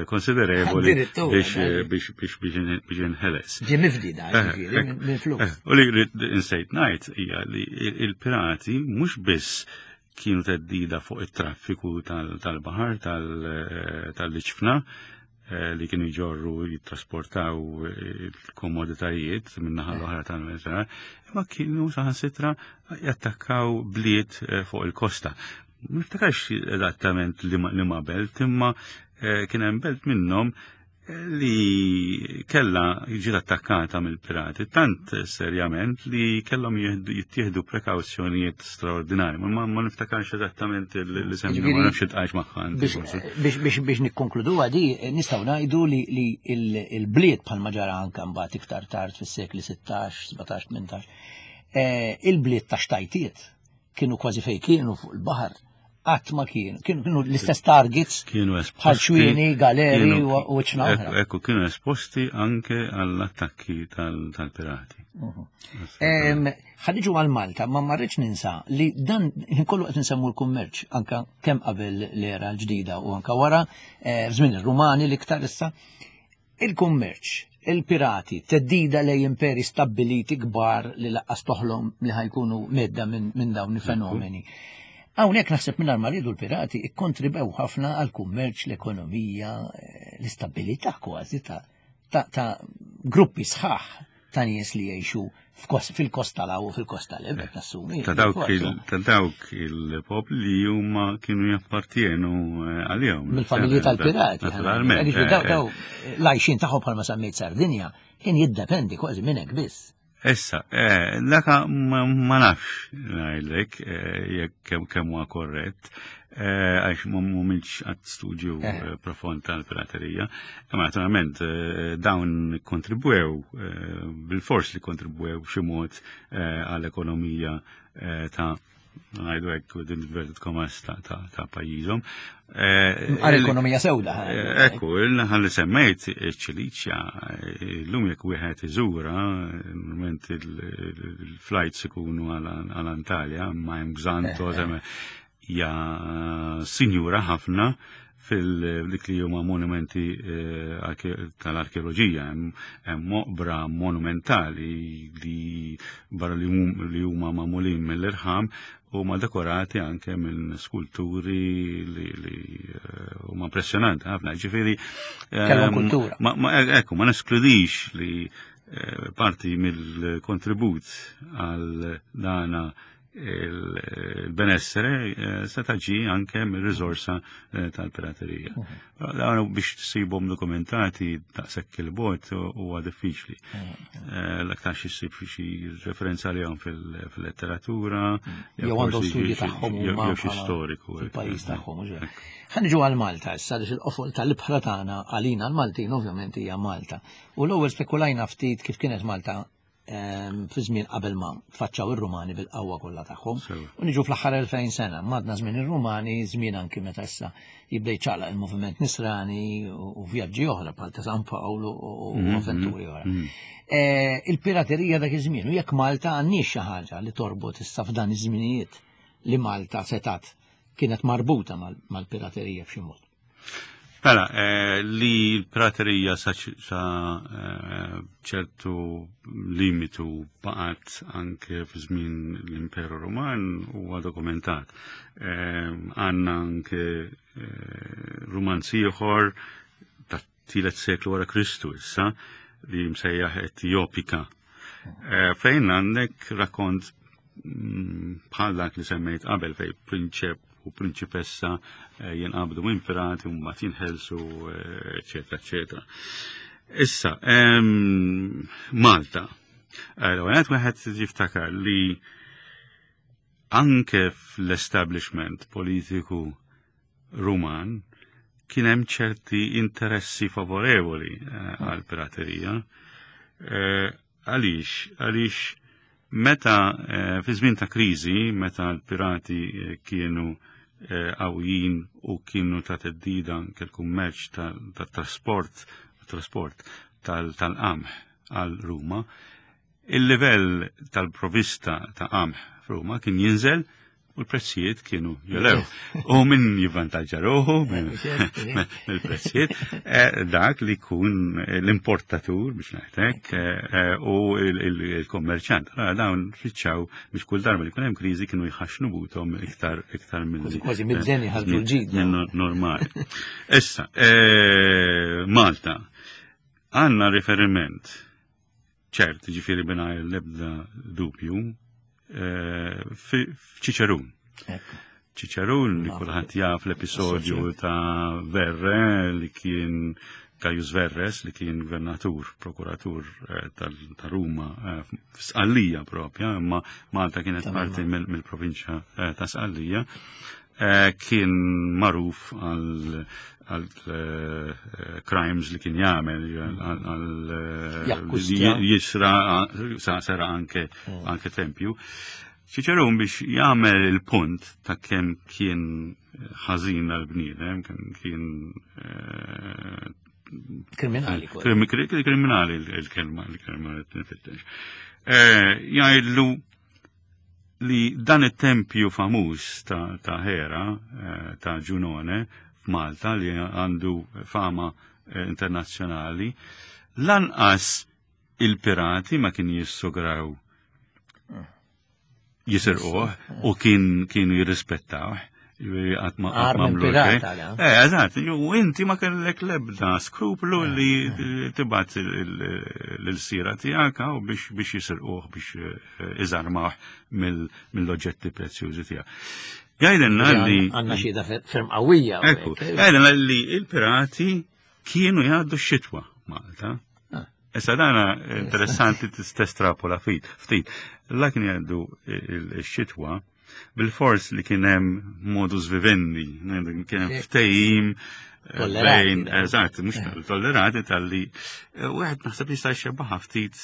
konsiderevoli biex biex biex biex inħeles. Ġie mifdi da, ġifieri, minn flus. U li insejt ngħid hija li il-pirati mhux biss kienu teddida fuq it-traffiku tal-baħar tal-liċfna eh, li kienu jġorru jittrasportaw il-komoditajiet minnaħa l-oħra tal-Mediterran, imma kienu saħansitra jattakkaw bliet eh, fuq il-kosta. Niftakarx eżattament li ma belt, imma eh, kien hemm belt minnhom li kella ġiet attakkata mill-pirati tant serjament li kellhom jittieħdu prekawzjonijiet straordinarji. Ma, ma niftakarx eżattament li semmi ma nafx iltqajx magħha. Biex biex nikkonkludu għadi nistgħu ngħidu li il-bliet bħalma ġara anke mbagħad iktar tard fis-sekli 16, 17, 18, il-bliet ta' xtajtiet kienu kważi fejn kienu fuq il-baħar qatt ma kienu, kienu l-istess targets kienu bħal xwieni, galeri u ċna oħra. Ekku, kienu esposti anke għall-attakki tal-pirati. Mhm. Ħadiġu għal Malta, ma marriċ ninsa li dan kollu qed nsemmu l-kummerċ anka kemm qabel l-era l-ġdida u anka wara, eh, f'żmien ir-Rumani l-iktar issa, Il-kummerċ, il-pirati, theddida lejn imperi stabbiliti kbar li laqqas toħlom li ħajkunu medda minn dawn il-fenomeni. Hawnhekk naħseb mingħajr ma riedu l-pirati ikkontribew ħafna għall-kummerċ, l-ekonomija, eh, l-istabilità kważi ta' ta' gruppi sħaħ ta' nies li jgħixu fil-kosta law u fil-kosta l qed nassumi. Ta' dawk il-popli li huma kienu jappartienu eh, għalihom. Mill-familji tal-pirati. Naturalment. Eh, daw eh. l-għajxin tagħhom bħalma semmejt Sardinja kien jiddependi kważi minn hekk biss. Issa, daka ma nafx ngħidlek jekk kemm huwa korrett. Eh, għax mumiex għat studju eh. eh, profond tal-piraterija. Imma naturalment dawn kontribwew, bil-fors li kontribwew b'xi mod għall-ekonomija ta' ngħidu hekk within inverted commas ta' pajjiżhom. Għal-ekonomija sewda. Ekku, il-naħa li semmejt ċiliċja, l-lum jekk wieħed iżura, normalment il-flights ikunu għal Antalja, ma hemm Xanto, hija sinjura ħafna fil-dik li huma monumenti eh, tal-arkeoloġija, hemm moqbra monumentali li barra li huma magħmulin mill-irħam huma dekorati anke minn skulturi li eh, huma impressjonanti ħafna. Ġifieri kellhom eh, kultura. Ma ekku, ma neskludix li parti mill-kontribut għal dana il-benessere eh, seta' ġi anke mir-riżorsa eh, tal-piraterija. Mhm. Dawn biex tsibhom dokumentati daqshekk il-bot huwa diffiċli. Mhm. Eh, l-aktar xi ssib xi referenza għalihom fil-letteratura, mhm. jew għandhom studji tagħhom jew xi storiku. Fil-pajjiż tagħhom. Ħa niġu għal Malta issa għaliex il-qofol tal-ibħra tagħna għalina l-Maltin ovvjament hija Malta. U l-ewwel spekulajna ftit kif kienet Malta fi żmien qabel ma tfaċċaw ir-Rumani bil-qawwa kollha tagħhom. U niġu fl-aħħar 2000 sena, madna żmien ir-Rumani, żmien anki meta issa jibda jċaqlaq il-moviment Nisrani u vjaġġi oħra bħal ta' San Pawl u mhm, avventuri oħra. Mhm. Eh, il-piraterija dak iż-żmien u jekk Malta għandniex xi ħaġa li torbot issa f'dan iż-żminijiet li Malta setat kienet marbuta mal-piraterija b'xi mod. Mela, eh, li l-praterija sa eh, ċertu limitu baqgħet anke fi żmien l-Imperu Roman huwa dokumentat. Eh, għandna anke rumanz ieħor ta' tielet seklu wara Kristu issa li msejjaħ Etjopika. Fejn għandek rakkont mm, bħal dak li semmejt qabel fej prinċep u prinċipessa eh, jinqabdu minn pirati u mbagħad jinħelsu, eh, eċetera, eċetera. Issa, Malta. L-ewwel wieħed jiftakar li anke fl-establishment politiku Ruman kien hemm ċerti interessi favorevoli eh, għal piraterija. Għaliex? Għaliex meta eh, fi żmien ta' kriżi, meta l-pirati eh, kienu eh, qawwijin u kienu ta' teddida anke l-kummerċ tat-trasport trasport tal-qamħ għal Ruma, il-livell tal-provista ta' qamħ f'Ruma kien jinżel u l-prezzijiet kienu jolew. U min jivvantaġġa ruħu mill-prezzijiet, eh, dak li kun l-importatur biex ngħidlek eh, u il-kommerċant. Dawn fiċċaw biex kull darba li kun hemm kriżi kienu jħaxnu butom iktar iktar mill Kważi mid-deni ħarġu l-ġid. Normali. Issa, eh, Malta, għandna riferiment ċert, ġifiri mingħajr l-ebda dubju, eh, f'Ċiċerun. Ċiċerun li kulħadd jaf l-episodju ta' Verre li kien Caius Verres li kien gvernatur, prokuratur eh, ta' Ruma eh, f'Sqallija propja, imma Malta kienet parti mill-provinċja ta' Sqallija. Eh, kien magħruf għal għal eh, crimes li kien jagħmel għal eh, jisra sera anke mm. anke tempju. Ċiċerun biex jagħmel il-punt ta' kemm kien ħażin għal bniedem, kemm kien kriminali. Kriminali il-kelma, il-kelma li nfittex. Jgħidlu li dan it-tempju famuż ta', ta Hera, eh, ta' Ġunone, f'Malta, li għandu fama eh, internazzjonali, lanqas il-pirati ma kien jissograw jisirquh u kien kienu jirrispettawh. Għat ma għamlu Eh, eżatt, u inti ma kellek lebda skruplu eh, li eh. tibat l-sira tiegħek u biex biex jisirquh biex eh, iżarmah mill-oġġetti prezzjużi tiegħek. Jgħidilna li. Għandna xhieda ferm qawwija. Ekku, jgħidilna li il-pirati kienu jgħaddu x-xitwa Malta. Ah. Issa dana interessanti testrapola ftit. Ftit. La kien jgħaddu x-xitwa bil-fors li kien hemm modus vivendi, kien hemm ftehim eh, bejn, eżatt, mhux eh. tollerati tal-li eh, wieħed naħseb jista' jxebbaħ ftit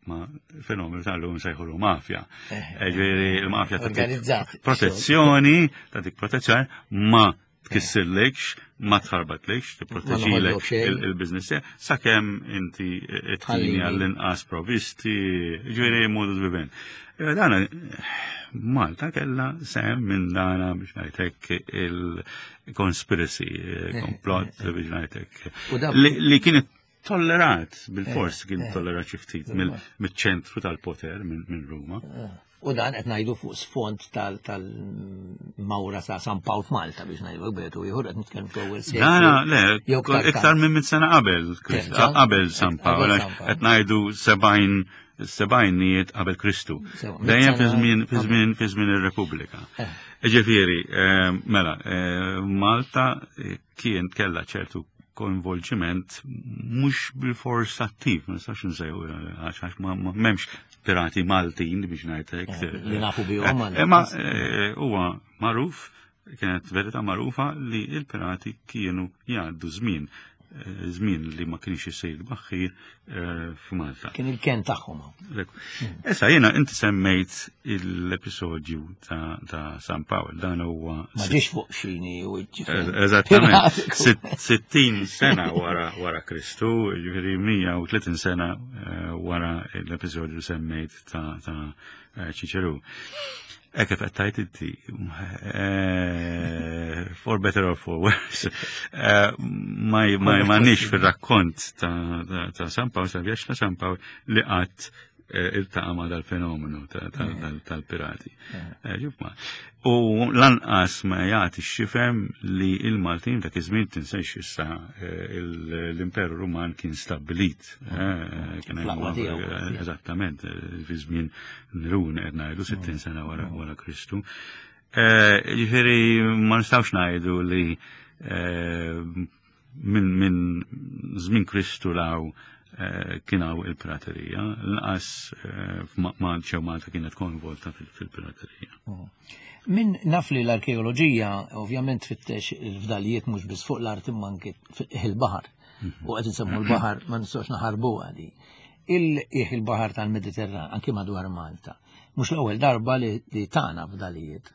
ma fenomenu tal-lum sejħulu mafja. Ġifieri il-mafja organizzat. Protezzjoni, ta' dik protezzjoni ma tkissirlekx, ma tħarbatlekx, tipproteġilek il-biznis sakemm inti tħallini għall-inqas provisti, ġifieri modus vivendi. Eh, dana Malta kella sem minn dana biex ngħidlek il-conspiracy, eh, komplott biex ngħidlek. Li kienet Tollerat, bil-fors kien tollerat xi ftit mill-ċentru tal-poter minn Ruma. U dan qed ngħidu fuq sfond tal-mawra ta' San Pawl f'Malta biex ngħidu betu ieħor qed nitkellmu fl-ewwel seklu. Dana, le, iktar minn mit sena qabel, qabel San Pawl, qed ngħidu 70 sebgħinijiet qabel Kristu. Dejjem fi żmien fi żmien fi żmien ir-Repubblika. Ġifieri, mela, Malta kien kella ċertu koinvolġiment mhux bil-fors attiv, ma nistax nsejħu għax ma m'hemmx pirati Maltin biex ngħidlek. Li nafu bihom. Imma huwa magħruf, kienet verità magħrufa li il-pirati kienu jgħaddu żmien li ma kienx isir baħħir f'Malta. Kien il-ken tagħhom. Issa jiena inti semmejt l-episodju ta' San Pawl, dan huwa Ma ġiex fuq xini u Eżattament. 60 sena wara Kristu, ġifieri 130 sena wara l-episodju semmejt ta' Ċiċeru. Hekk kif qed tgħid inti, for better or for worse, ma m'għandniex fir-rakkont ta' San Pawl, ta' vjaġġ ta' San Pawl li qatt iltaqa' ma' dal-fenomenu tal-pirati. U lanqas ma jagħti x'jifhem li il-Maltin dak iż-żmien, tinsejx issa l-Imperu Ruman kien stabbilit. Kien eżattament fi żmien Nerun qed ngħidu 60 sena wara Kristu. Ġifieri ma nistgħux ngħidu li minn żmien Kristu 'l hawn kien hawn il-piraterija, lanqas ġew Malta kienet koinvolta fil-piraterija. Min naf li l-arkeoloġija ovvjament tfittex il-fdalijiet mhux biss fuq l-art imma anke il-baħar. U qed insemmu l-baħar ma nistgħux naħarbu għadi. Il-qiegħ il-baħar tal-Mediterran, anki madwar Malta. Mhux l-ewwel darba li tana fdalijiet.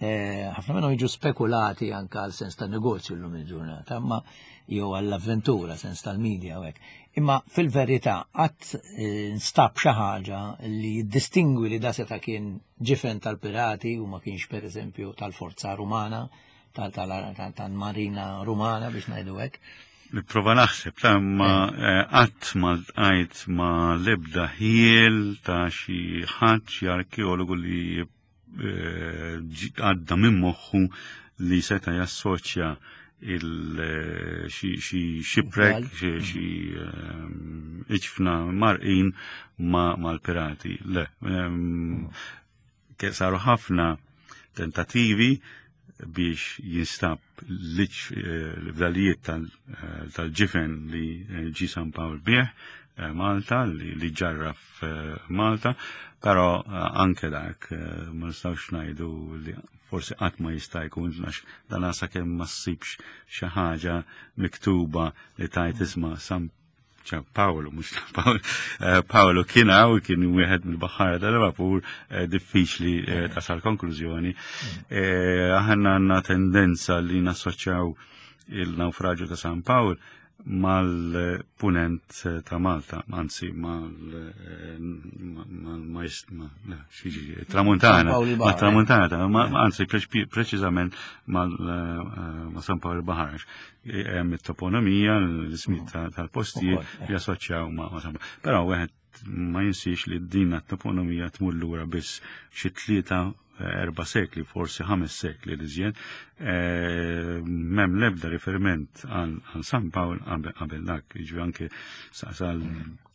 Ħafna minnhom jiġu spekulati anke għal sens ta' negozju llum il-ġurnata, imma jew għall-avventura, sens tal-medja u hekk. Imma fil-verità qatt nstab xi ħaġa li jiddistingwi li da seta' kien ġifen tal-pirati u ma kienx pereżempju tal-forza rumana, tal-marina rumana biex ngħidu hekk? Nipprova naħseb, ta' ma qatt ma ltqajt ma l-ebda ħjiel ta' xi ħadd, xi arkeologu li għadda minn moħħu li seta' jassoċja xi shipwreck, xi iġfna mgħarrqin mal-pirati. Le, saru ħafna tentativi biex jinstab l-fdalijiet tal-ġifen li ġi San Pawl bih Malta, li ġarraf Malta, pero anke dak ma nistgħux ngħidu li forsi qatt ma jista' jkun għax dan sakemm ma ssibx xi ħaġa miktuba li tgħid isma' San Paolo, mhux Paolo, Paolo kien hawn, kien wieħed mill-baħħara tal-vapur, diffiċli tasal konklużjoni. Aħna għandna tendenza li nassoċjaw il-naufraġju ta' San Pawl mal-punent ta' Malta, anzi mal-tramuntana, mal-tramuntana, anzi preċiżament ma' San Pawl il-Baħar. Hemm it-toponomija, l-ismijiet tal-postijiet li assoċjaw ma' San Pawl. Però wieħed ma jinsiex li din it-toponomija tmur lura biss xi 3-4 sekli, forsi 5 sekli li żjed, m'hemm l-ebda riferiment għal San Pawl qabel dak, jiġri anke sal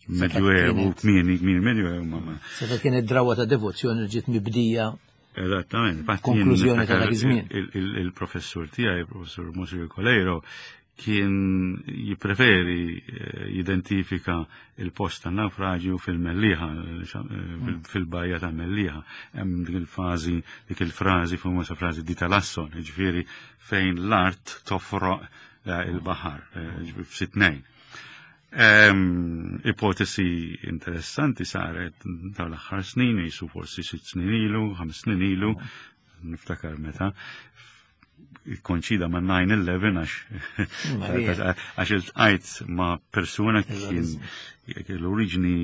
Medjuevu, kmieni, kmieni Medjuevu. Ma. Seta kienet drawa ta' devozzjoni li ġiet mibdija. Eżattament. Konklużjoni ta' dak iż-żmien. Il-professur tiegħi, il-professur Monsignor Coleiro, kien jipreferi jidentifika il-post tan naufraġju fil-Mellieħa, fil-bajja ta' Mellieħa. Hemm dik il-fażi, dik il-frażi, famuża frażi di Talasson, ġifieri fejn l-art tofroq il-baħar, f'sitnejn. Ipotesi interessanti saret dawn l-aħħar snin, jisu forsi 6 snin ilu, 5 snin ilu, niftakar meta, koinċida ma' 9-11 għax iltqajt ma' persuna kien l-oriġini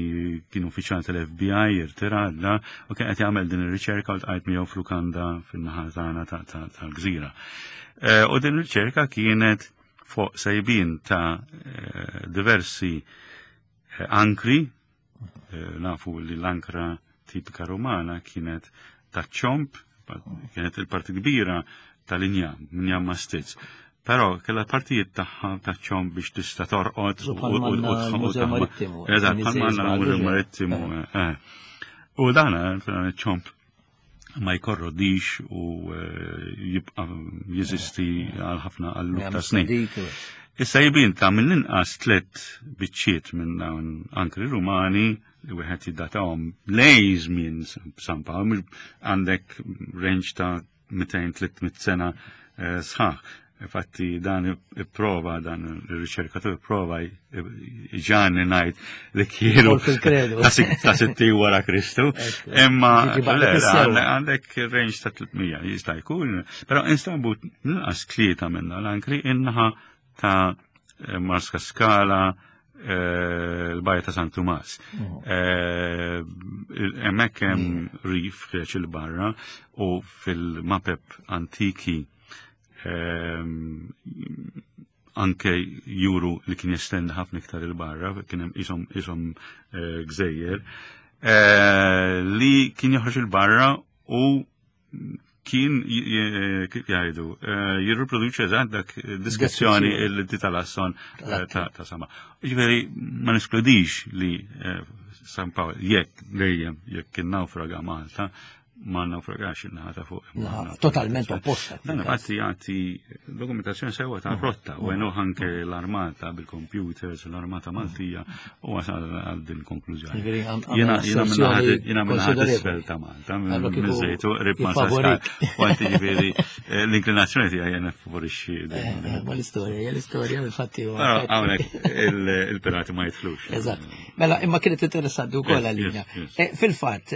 kien uffiċjal tal-FBI irtirat da u kien qed jagħmel din ir-riċerka u ltqajt miegħu f'lukanda fin-naħa tagħna tal-gżira. U din ir-riċerka kienet fuq sejbin ta' eh, diversi eh, ankri, eh, nafu li l-ankra tipika romana kienet ta' ċomp, kienet il-parti kbira tal-injam, injam ma' stizz. Però kella partijiet tagħha ta' ċomp biex tista' torqod u Marittimu. Eżatt, bħalma l-Mużew Marittimu. U dan ċomp ma jkorrodix u eh, jibqa' jeżisti għal ħafna għal ta' snin. Issa jibin ta' mill-inqas tliet biċċiet minn dawn ankri Rumani li wieħed jiddatahom lej żmien San Pawl, għandek range ta' 200-300 sena eh, sħaħ. Infatti dan ipprova, dan il-riċerkatur ipprova ġani ngħid li kienu ta' 60 wara Kristu. Imma għandek range ta' 300 jista' jkun, però instabu nqas tlieta minna l-ankri innaħa ta' Marska Skala, eh, l-bajja ta' San Tumas. Mm. Eh, hemmhekk hemm mm. rif ħreġ il-barra u fil-mapep antiki ehm, anke juru li kien jestendi ħafna iktar il-barra, kien hemm isom isom eh, gżejjer, li kien joħroġ il-barra u kien kif jgħidu eh, jirriproduċi eżatt dak diskrezzjoni li titalasson eh, ta' sama. Ġifieri ma neskludix li eh, San Pawl jekk dejjem jekk kien nawfraga Malta ma naufragax il-naħa ta' fuq. Totalment opposta. Dan infatti jagħti dokumentazzjoni sewwa ta' rotta u għenu anke l-armata bil-computers, l-armata Maltija u wasal għal din konklużjoni. Jiena jiena minnaħat isfel ta' Malta, minn żejtu qrib ma' Saskar. U għanti ġifieri eh, l-inklinazzjoni tiegħi jena favorixxi. Eh, eh, ma l-istorja, hija l-istorja infatti. Hawnhekk il-pirati ma jidħlux. Eżatt. Mela, imma kienet interessanti wkoll għalina. Fil-fatt,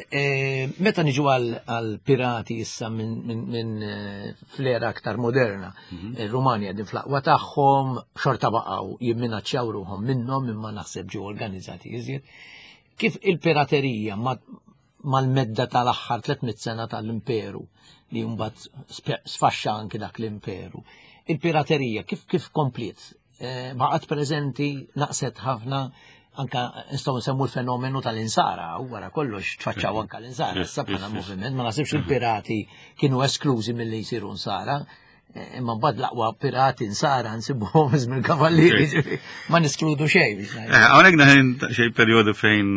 meta niġu għal pirati issa minn fl-era aktar moderna, mhm. Ir-Rumani qegħdin fl-aqwa tagħhom, xorta baqgħu jimminaċċjaw ruħhom minnhom imma naħseb ġew organizzati iżjed. Kif il-piraterija mal-medda tal-aħħar 300 sena tal-imperu li mbagħad sfaxxa anki dak l-imperu. Il-piraterija kif kif kompliet? Eh, baqgħet preżenti, naqset ħafna, anka nistgħu nsemmu l-fenomenu tal-insara, u wara kollox tfaċċaw anka l-insara, issa bħala moviment, ma nasibx il-pirati kienu esklużi milli jsiru nsara, eh, imma mbagħad l-aqwa pirati nsara nsibuhom żmien kavallieri, ma niskludu xejn. Eh, hawnhekk naħin xejn perjodu fejn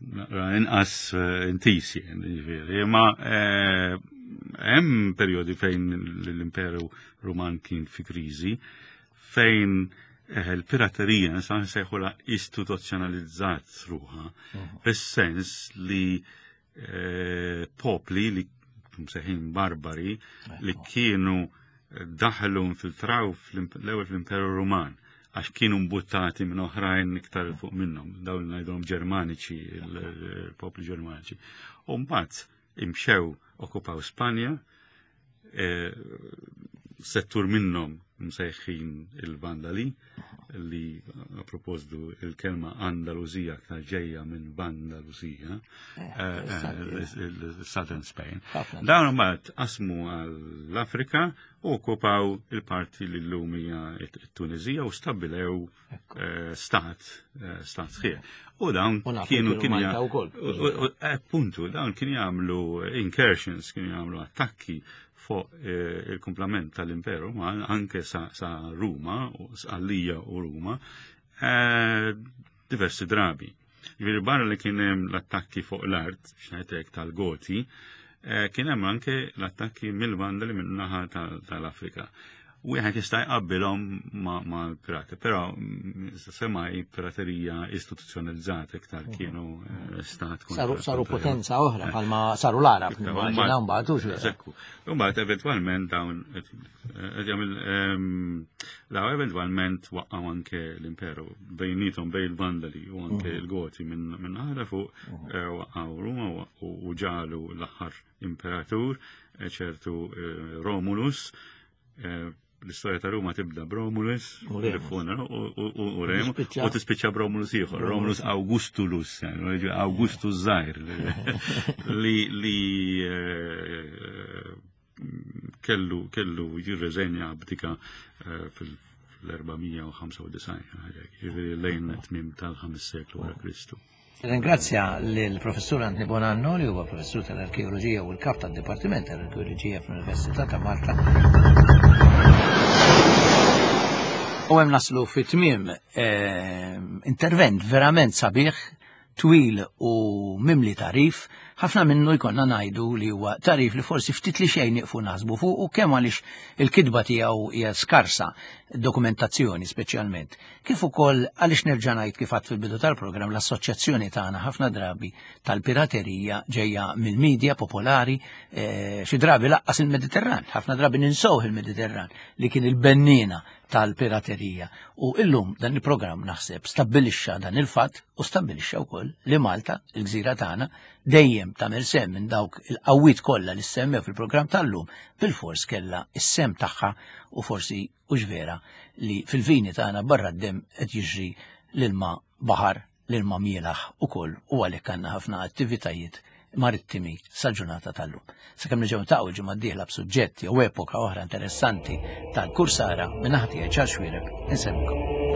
naqra inqas eh, intis ġifieri, imma eh, hemm perjodi fejn l-Imperu Ruman kien fi kriżi, fejn eh, il-piraterija nistgħu nsejħula istituzzjonalizzat ruħha, mhm. fis-sens li popli li msejħin barbari li kienu daħlu infiltraw l-ewwel fl-Imperu Ruman għax kienu mbuttati minn oħrajn iktar fuq minnhom, dawn li ngħidhom Ġermaniċi, il-popli Ġermaniċi. U mbagħad imxew okkupaw Spanja, e, settur minnhom msejħin il-Vandali, li a proposdu il-kelma Andaluzija aktar ġejja minn Vandalusija, eh, eh, eh, Southern Spain. Dawn mbagħad qasmu għall-Afrika u okkupaw il-parti li llum hija t-Tunizija u stabbilew stat, stat sħiħ. U dawn kienu kienu appuntu dawn kienu jagħmlu incursions, kienu jagħmlu attakki fuq eh, il-kumplament tal-Imperu Ruman anke sa, sa Ruma, Sqallija u Ruma, eh, diversi drabi. Ġifieri barra li kien hemm l-attakki fuq l-art, xnajtek tal-Goti, eh, kien hemm anke l-attakki mill-Vandali min-naħa tal-Afrika. Wieħed jista' jqabbilhom ma' l-pirati, però mm, semmai piraterija istituzzjonalizzata iktar mhm. kienu eh, stat. Saru potenza oħra eh. bħalma saru l-Arab, nimmaġina mbagħad hux. Ekku. Mbagħad eventwalment dawn eh, ehm, daw eventwalment waqqgħu anke l-imperu bejnietom bejn il-Vandali u anke mhm. l-Goti minn naħra fuq mhm. waqqgħu Ruma u ġalu l-aħħar imperatur ċertu Romulus Eh, l-istorja ta' Ruma tibda b'Romulus, u Remu, u tispiċċa b'Romulus ieħor, Romulus Augustulus, eh, Augustus Zaħir, li li eh, kellu kellu jirreżenja abdika fil fl-495 ħaġa, ġifieri lejn tmiem tal-ħames seklu wara Kristu. Ringrazzja lill-Professur Anthony Bonanno li huwa professur tal-Arkeoloġija u l-kap tad-Dipartiment tal-Arkeoloġija fl-Università ta' Malta. U hemm naslu fi tmiem eh, intervent verament sabiħ twil u mimli tagħrif, ħafna minnu jkollna ngħidu li huwa tagħrif li forsi ftit li xejn nieqfu naħsbu fuq u kemm għaliex il-kitba tiegħu hija skarsa, dokumentazzjoni speċjalment, kif ukoll għaliex nerġa' ngħid kif għadt fil-bidu tal-programm l-assoċjazzjoni tagħna ħafna drabi tal-piraterija ġejja mill-medja popolari eh, xi drabi laqqas il-Mediterran, ħafna drabi ninsow il-Mediterran li kien il-bennina tal-piraterija. U illum dan il-programm naħseb stabbilixxa dan il-fatt u stabbilixxa wkoll li Malta, il-gżira tagħna, dejjem tagħmel sem minn dawk il-qawwiet kollha li semmew fil-programm tal-lum bil-fors kellha is-sem tagħha u forsi hux vera li fil-vini tagħna barra d-demm qed jiġri l-ilma baħar l-ilma mielaħ ukoll u għalhekk għandna ħafna attivitajiet marittimi sal-ġurnata tal-lum. Sakemm nerġgħu ntaqgħu l-ġimgħa d-dieħla b'suġġett jew epoka oħra interessanti tal-kursara minn naħa tiegħi Charles Xuereb inselmikom.